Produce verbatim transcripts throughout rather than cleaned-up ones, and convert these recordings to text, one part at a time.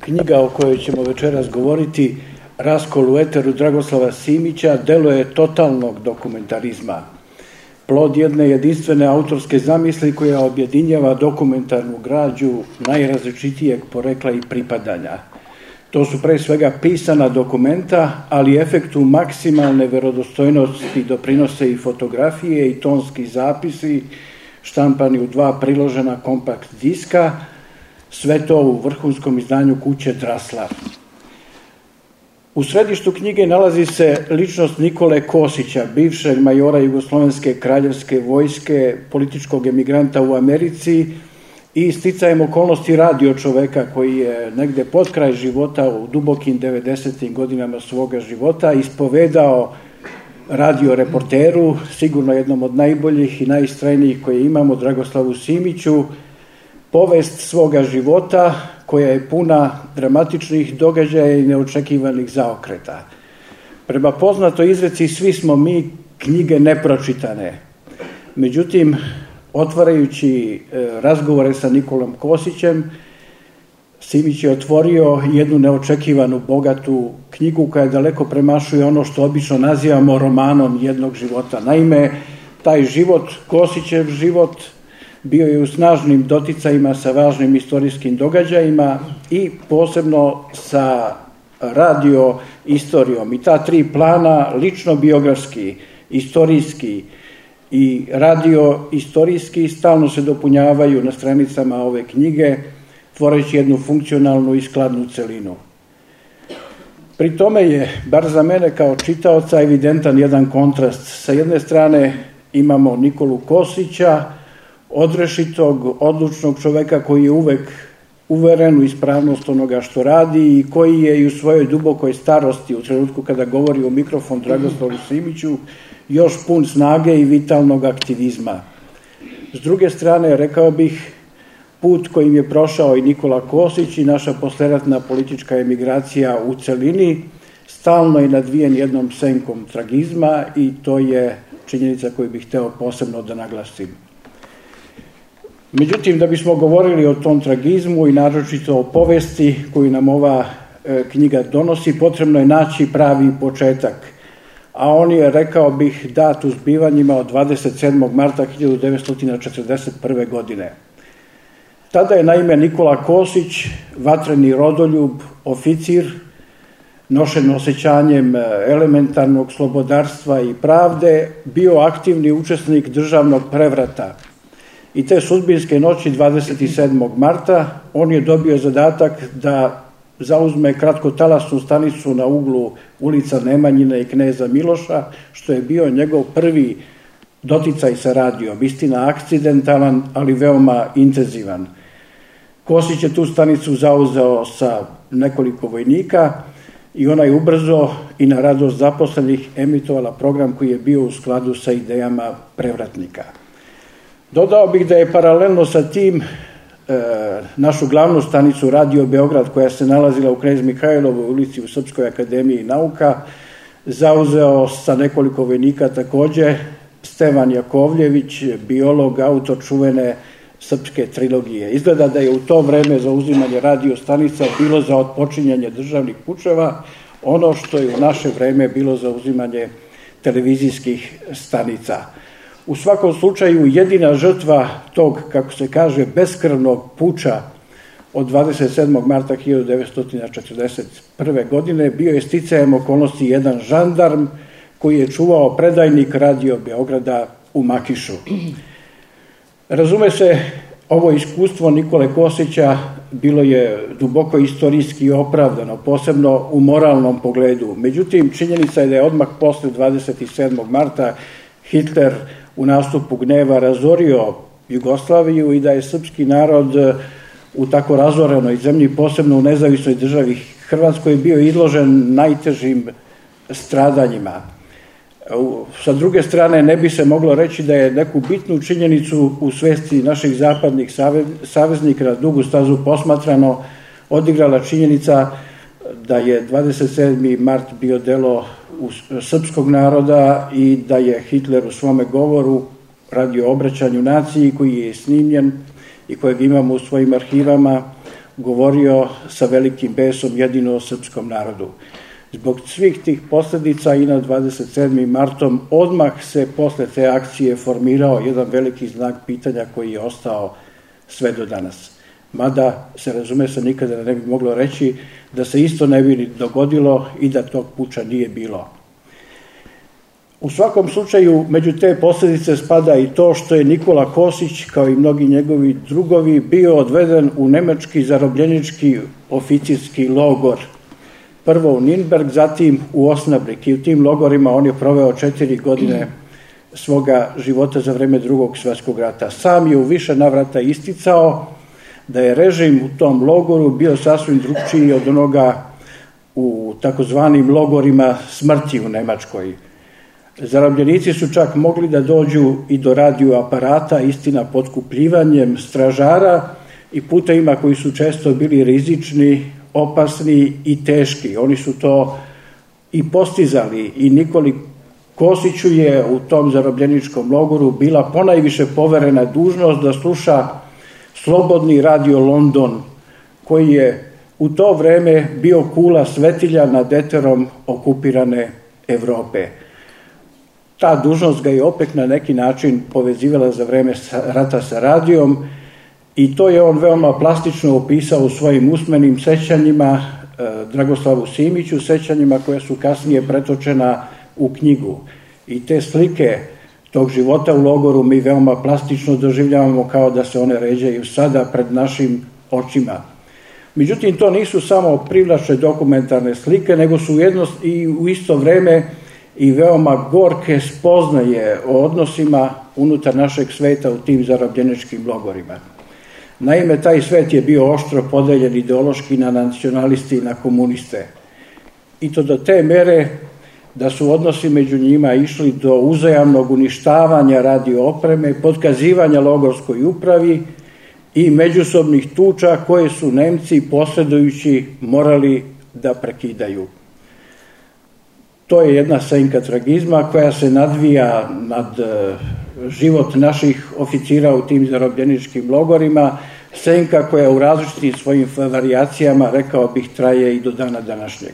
Knjiga o kojoj ćemo večeras govoriti, Raskol u eteru Dragoslava Simića, delo je totalnog dokumentarizma. Plod jedne jedinstvene autorske zamisli koja objedinjava dokumentarnu građu najrazličitijeg porekla i pripadanja. To su pre svega pisana dokumenta, ali efektu maksimalne verodostojnosti doprinose i fotografije i tonski zapisi, štampani u dva priložena kompakt diska, sve to u vrhunskom izdanju kuće Draslar. U središtu knjige nalazi se ličnost Nikole Kosića, bivšeg majora Jugoslovenske kraljevske vojske, političkog emigranta u Americi i sticajem okolnosti radio čoveka koji je negde pod kraj života u dubokim devedesetim godinama svoga života ispovedao radio reporteru, sigurno jednom od najboljih i najistrajnijih koje imamo, Dragoslavu Simiću, povest svoga života koja je puna dramatičnih događaja i neočekivanih zaokreta. Prema poznatoj izreci svi smo mi knjige nepročitane. Međutim, otvarajući razgovore sa Nikolom Kosićem, Simić je otvorio jednu neočekivanu, bogatu knjigu koja daleko premašuje ono što obično nazivamo romanom jednog života. Naime, taj život, Kosićev život, bio je u snažnim doticajima sa važnim istorijskim događajima i posebno sa radio istorijom. I ta tri plana, lično biografski, istorijski i radio istorijski, stalno se dopunjavaju na stranicama ove knjige, tvoreći jednu funkcionalnu i skladnu celinu. Pri tome je, bar za mene kao čitaoca, evidentan jedan kontrast. Sa jedne strane imamo Nikolu Kosića, odrešitog, odlučnog čoveka koji je uvek uveren u ispravnost onoga što radi i koji je i u svojoj dubokoj starosti, u trenutku kada govori u mikrofon Dragoslavu Simiću, još pun snage i vitalnog aktivizma. S druge strane, rekao bih, put kojim je prošao i Nikola Kosić i naša posleratna politička emigracija u celini, stalno je nadvijen jednom senkom tragizma i to je činjenica koju bih hteo posebno da naglasim. Međutim, da bismo govorili o tom tragizmu i naročito o povesti koju nam ova e, knjiga donosi, potrebno je naći pravi početak. A on je, rekao bih, dat u zbivanjima od dvadeset sedmog marta hiljadu devetsto četrdeset prve. godine. Tada je naime Nikola Kosić, vatreni rodoljub, oficir, nošen osjećanjem elementarnog slobodarstva i pravde, bio aktivni učesnik državnog prevrata. I te sudbinske noći dvadeset sedmog marta on je dobio zadatak da zauzme kratkotalasnu stanicu na uglu ulica Nemanjine i Kneza Miloša, što je bio njegov prvi doticaj sa radijom. Istina, akcidentalan, ali veoma intenzivan. Kosić je tu stanicu zauzeo sa nekoliko vojnika i ona je ubrzo i na radost zaposlenih emitovala program koji je bio u skladu sa idejama prevratnika. Dodao bih da je paralelno sa tim e, našu glavnu stanicu Radio Beograd, koja se nalazila u Knez Mihajlovoj ulici u Srpskoj akademiji nauka, zauzeo sa nekoliko vojnika takođe Stevan Jakovljević, biolog, autor čuvene srpske trilogije. Izgleda da je u to vreme zauzimanje radio stanica bilo za otpočinjanje državnih pučeva, ono što je u naše vreme bilo zauzimanje televizijskih stanica. U svakom slučaju, jedina žrtva tog, kako se kaže, beskrvnog puča od dvadeset sedmog marta hiljadu devetsto četrdeset prve. godine bio je sticajem okolnosti jedan žandarm koji je čuvao predajnik Radio Beograda u Makišu. Razume se, ovo iskustvo Nikole Kosića bilo je duboko istorijski opravdano, posebno u moralnom pogledu. Međutim, činjenica je da je odmah posle dvadeset sedmog marta Hitler u nastupu gneva razorio Jugoslaviju i da je srpski narod u tako razorenoj zemlji, posebno u nezavisnoj državi Hrvatskoj, bio izložen najtežim stradanjima. Sa druge strane, ne bi se moglo reći da je neku bitnu činjenicu u svesti naših zapadnih saveznika na dugu stazu posmatrano odigrala činjenica da je dvadeset sedmi mart bio delo srpskog naroda i da je Hitler u svome govoru radio obraćanju naciji koji je snimljen i kojeg imamo u svojim arhivama govorio sa velikim besom jedino o srpskom narodu. Zbog svih tih posljedica i na dvadeset sedmog martom odmah se posle te akcije formirao jedan veliki znak pitanja koji je ostao sve do danas. Mada se razume se nikada ne bi moglo reći da se isto ne bi dogodilo i da tog puča nije bilo. U svakom slučaju, među te posljedice spada i to što je Nikola Kosić, kao i mnogi njegovi drugovi, bio odveden u nemački zarobljenički oficirski logor. Prvo u Nürnberg, zatim u Osnabrück, i u tim logorima on je proveo četiri godine svoga života za vreme Drugog svjetskog rata. Sam je u više navrata isticao da je režim u tom logoru bio sasvim drugčiji od onoga u takozvanim logorima smrti u Nemačkoj. Zarobljenici su čak mogli da dođu i do radio aparata, istina potkupljivanjem stražara i putevima koji su često bili rizični, opasni i teški. Oni su to i postizali i Nikoli Kosiću je u tom zarobljeničkom logoru bila ponajviše poverena dužnost da sluša slobodni radio London, koji je u to vreme bio kula svetilja nad eterom okupirane Evrope. Ta dužnost ga je opet na neki način povezivala za vreme rata sa radijom i to je on veoma plastično opisao u svojim usmenim sećanjima Dragoslavu Simiću, sećanjima koja su kasnije pretočena u knjigu. I te slike tog života u logoru mi veoma plastično doživljavamo kao da se one ređaju sada pred našim očima. Međutim, to nisu samo privlačne dokumentarne slike, nego su jednost i u isto vreme i veoma gorke spoznaje o odnosima unutar našeg sveta u tim zarobljeničkim logorima. Naime, taj svet je bio oštro podeljen ideološki na nacionaliste i na komuniste. I to do te mere da su odnosi među njima išli do uzajamnog uništavanja radio opreme, potkazivanja logorskoj upravi i međusobnih tuča koje su Nemci posredujući morali da prekidaju. To je jedna senka tragizma koja se nadvija nad život naših oficira u tim zarobljeničkim logorima, senka koja u različitim svojim varijacijama, rekao bih, traje i do dana današnjeg.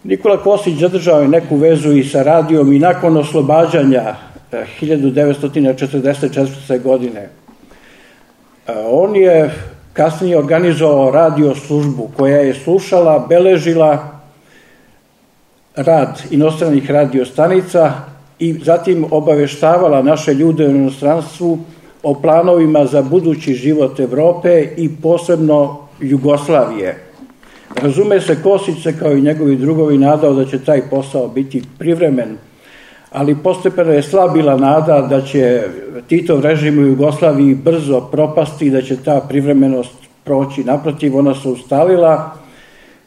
Nikola Kosić zadržao je neku vezu i sa radijom i nakon oslobađanja hiljadu devetsto četrdeset četvrte. godine. On je kasnije organizovao radio službu koja je slušala, beležila rad inostranih radiostanica i zatim obaveštavala naše ljude u inostranstvu o planovima za budući život Evrope i posebno Jugoslavije. Razume se, Kosić se kao i njegovi drugovi nadao da će taj posao biti privremen, ali postepeno je slabila nada da će Titov režim u Jugoslaviji brzo propasti i da će ta privremenost proći. Naprotiv, ona se ustalila,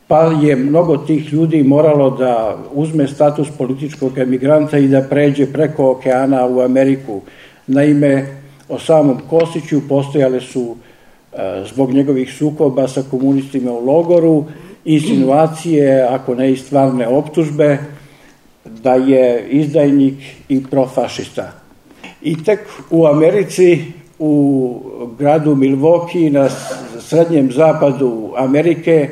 pa je mnogo tih ljudi moralo da uzme status političkog emigranta i da pređe preko okeana u Ameriku. Naime, o samom Kosiću postojale su, zbog njegovih sukoba sa komunistima u logoru, insinuacije, ako ne i stvarne optužbe, da je izdajnik i profašista. I tek u Americi, u gradu Milwaukee, na srednjem zapadu Amerike,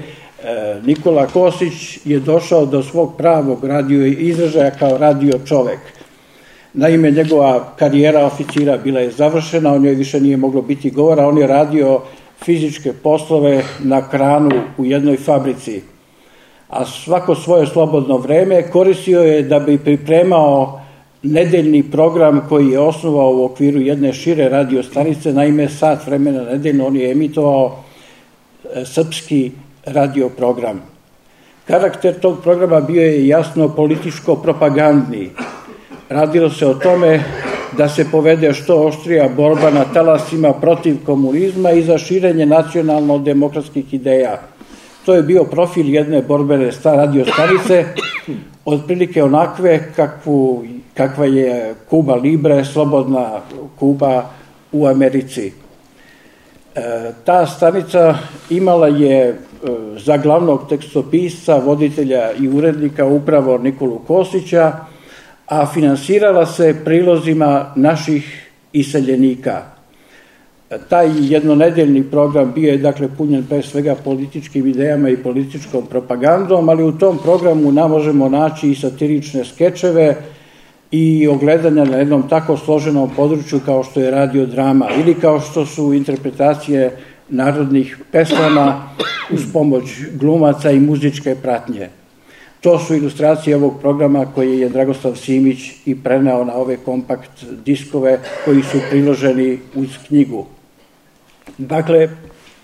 Nikola Kosić je došao do svog pravog radio izražaja kao radio čovek. Naime, njegova karijera oficira bila je završena, o njoj više nije moglo biti govora, on je radio fizičke poslove na kranu u jednoj fabrici, a svako svoje slobodno vreme koristio je da bi pripremao nedeljni program koji je osnovao u okviru jedne šire radiostanice. Naime, sat vremena nedeljno on je emitovao srpski radio program. Karakter tog programa bio je jasno političko-propagandni. Radilo se o tome da se povede što oštrija borba na talasima protiv komunizma i za širenje nacionalno-demokratskih ideja. To je bio profil jedne borbene radiostanice, otprilike onakve kakvu, kakva je Kuba Libre, slobodna Kuba u Americi. E, ta stanica imala je e, za glavnog tekstopisca, voditelja i urednika upravo Nikolu Kosića, a finansirala se prilozima naših iseljenika. Taj jednonedeljni program bio je dakle punjen pre svega političkim idejama i političkom propagandom, ali u tom programu nam možemo naći i satirične skečeve i ogledanja na jednom tako složenom području kao što je radiodrama ili kao što su interpretacije narodnih pesama uz pomoć glumaca i muzičke pratnje. To su ilustracije ovog programa koje je Dragoslav Simić i preneo na ove kompakt diskove koji su priloženi uz knjigu. Dakle,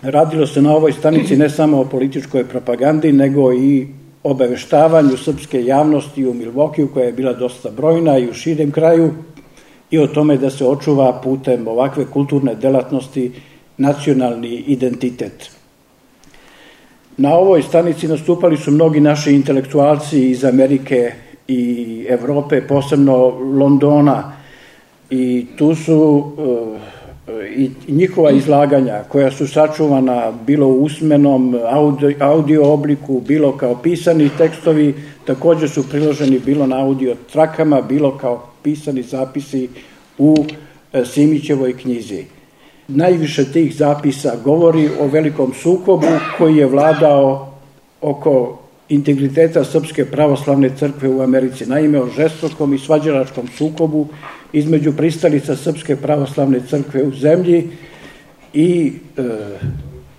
radilo se na ovoj stanici ne samo o političkoj propagandi, nego i obaveštavanju srpske javnosti u Milvokiju, koja je bila dosta brojna i u širem kraju, i o tome da se očuva putem ovakve kulturne delatnosti nacionalni identitet. Na ovoj stanici nastupali su mnogi naši intelektualci iz Amerike i Evrope, posebno Londona, i tu su i njihova izlaganja koja su sačuvana bilo u usmenom audio, audio obliku, bilo kao pisani tekstovi, također su priloženi bilo na audio trakama, bilo kao pisani zapisi u Simićevoj knjizi. Najviše tih zapisa govori o velikom sukobu koji je vladao oko integriteta Srpske pravoslavne crkve u Americi. Naime, o žestokom i svađalačkom sukobu između pristalica Srpske pravoslavne crkve u zemlji i e,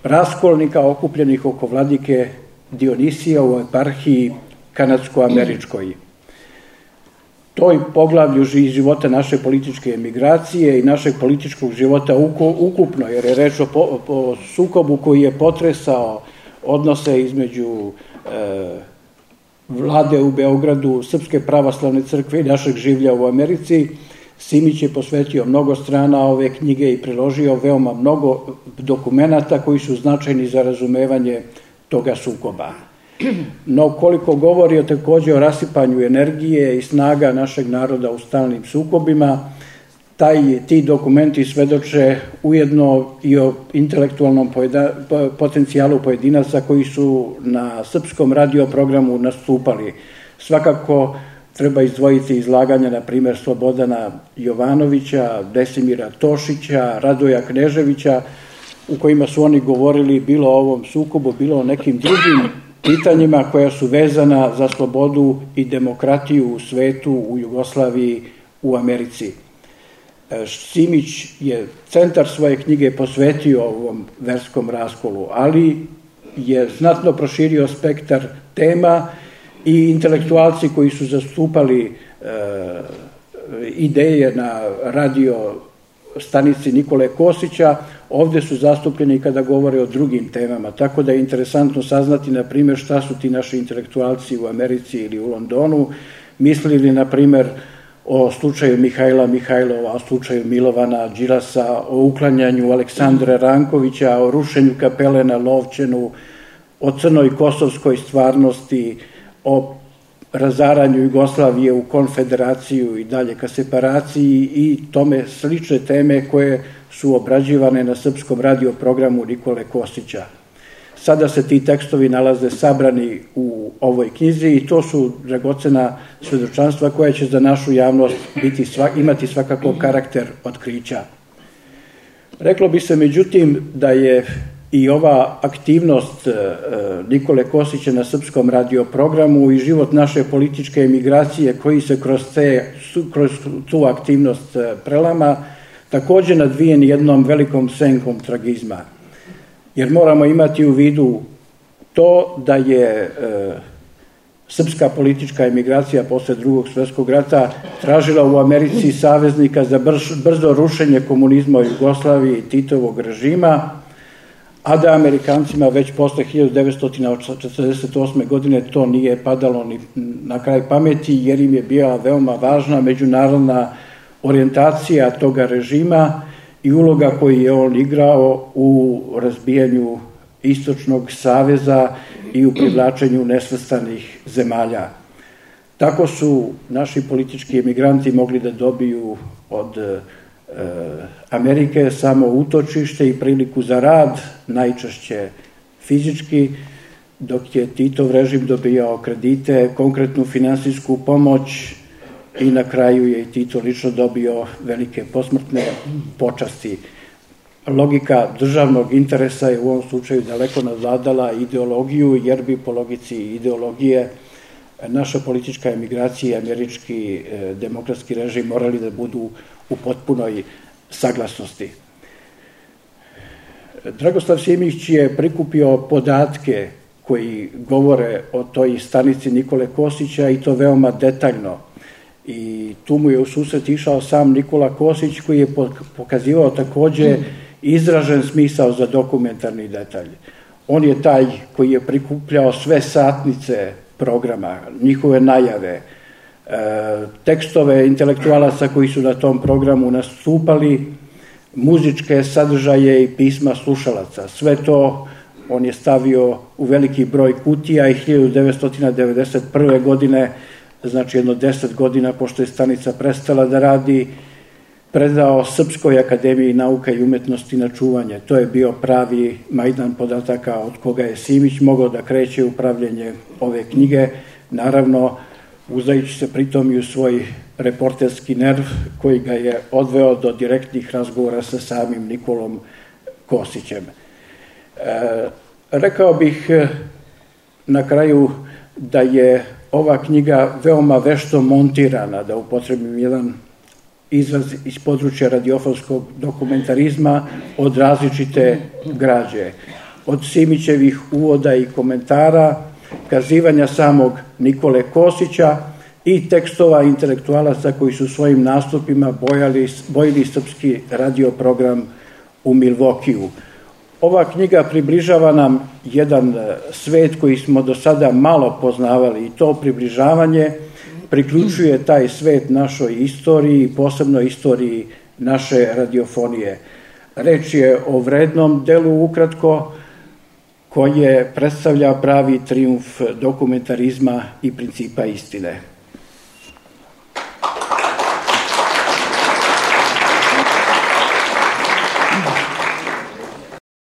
raskolnika okupljenih oko vladike Dionisija u eparhiji kanadsko-američkoj. Toj poglavlju života naše političke emigracije i našeg političkog života ukupno, jer je reč o, o sukobu koji je potresao odnose između e, vlade u Beogradu, Srpske pravoslavne crkve i našeg življa u Americi. Simić je posvetio mnogo strana ove knjige i priložio veoma mnogo dokumenata koji su značajni za razumevanje toga sukoba. No, koliko govori o također o rasipanju energije i snaga našeg naroda u stalnim sukobima, taj, ti dokumenti svedoče ujedno i o intelektualnom pojeda, potencijalu pojedinaca koji su na srpskom radioprogramu nastupali. Svakako treba izdvojiti izlaganja, na primjer, Slobodana Jovanovića, Desimira Tošića, Radoja Kneževića, u kojima su oni govorili bilo o ovom sukobu, bilo o nekim drugim pitanjima koja su vezana za slobodu i demokratiju u svetu, u Jugoslaviji, u Americi. Simić je centar svoje knjige posvetio ovom verskom raskolu, ali je znatno proširio spektar tema i intelektualci koji su zastupali e, ideje na radio stanici Nikole Kosića, ovdje su zastupljeni kada govore o drugim temama, tako da je interesantno saznati, na primjer, šta su ti naši intelektualci u Americi ili u Londonu mislili, na primjer, o slučaju Mihajla Mihajlova, o slučaju Milovana Đilasa, o uklanjanju Aleksandra Rankovića, o rušenju kapele na Lovćenu, o crnoj kosovskoj stvarnosti, o razaranju Jugoslavije u konfederaciju i dalje ka separaciji i tome slične teme koje su obrađivane na srpskom radioprogramu Nikole Kosića. Sada se ti tekstovi nalaze sabrani u ovoj knjizi i to su dragocena svedočanstva koja će za našu javnost biti, imati svakako karakter otkrića. Reklo bi se međutim da je i ova aktivnost Nikole Kosića na srpskom radioprogramu i život naše političke emigracije koji se kroz, te, kroz tu aktivnost prelama također nadvijen jednom velikom senkom tragizma. Jer moramo imati u vidu to da je e, srpska politička emigracija posle drugog svjetskog rata tražila u Americi saveznika za brz, brzo rušenje komunizma u Jugoslaviji i Titovog režima, a da Amerikancima već posle hiljadu devetsto četrdeset osme. godine to nije padalo ni na kraj pameti, jer im je bila veoma važna međunarodna orijentacija toga režima i uloga koju je on igrao u razbijanju Istočnog saveza i u privlačenju nesvrstanih zemalja. Tako su naši politički emigranti mogli da dobiju od e, Amerike samo utočište i priliku za rad, najčešće fizički, dok je Titov režim dobijao kredite, konkretnu finansijsku pomoć i na kraju je Tito lično dobio velike posmrtne počasti. logika državnog interesa je u ovom slučaju daleko nadvladala ideologiju, jer bi po logici ideologije naša politička emigracija i američki demokratski režim morali da budu u potpunoj saglasnosti. Dragoslav Simić je prikupio podatke koji govore o toj stanici Nikole Kosića i to veoma detaljno. I tu mu je u susret išao sam Nikola Kosić koji je pokazivao takođe izražen smisao za dokumentarni detalj. On je taj koji je prikupljao sve satnice programa, njihove najave, tekstove intelektualaca koji su na tom programu nastupali, muzičke sadržaje i pisma slušalaca. Sve to on je stavio u veliki broj kutija i hiljadu devetsto devedeset prve. godine, znači jedno deset godina pošto je stanica prestala da radi, predao Srpskoj akademiji nauka i umetnosti na čuvanje. To je bio pravi majdan podataka od koga je Simić mogao da kreće upravljanje ove knjige, naravno uzajući se pritom i u svoj reporterski nerv koji ga je odveo do direktnih razgovora sa samim Nikolom Kosićem. E, rekao bih na kraju da je ova knjiga veoma vešto montirana, da upotrebim jedan izraz iz područja radiofonskog dokumentarizma, od različite građe. Od Simićevih uvoda i komentara, kazivanja samog Nikole Kosića i tekstova intelektualaca koji su svojim nastupima bojali, bojili srpski radioprogram u Milvokiju. Ova knjiga približava nam jedan svet koji smo do sada malo poznavali i to približavanje priključuje taj svet našoj istoriji, posebno istoriji naše radiofonije. Reč je o vrednom delu ukratko koje predstavlja pravi trijumf dokumentarizma i principa istine.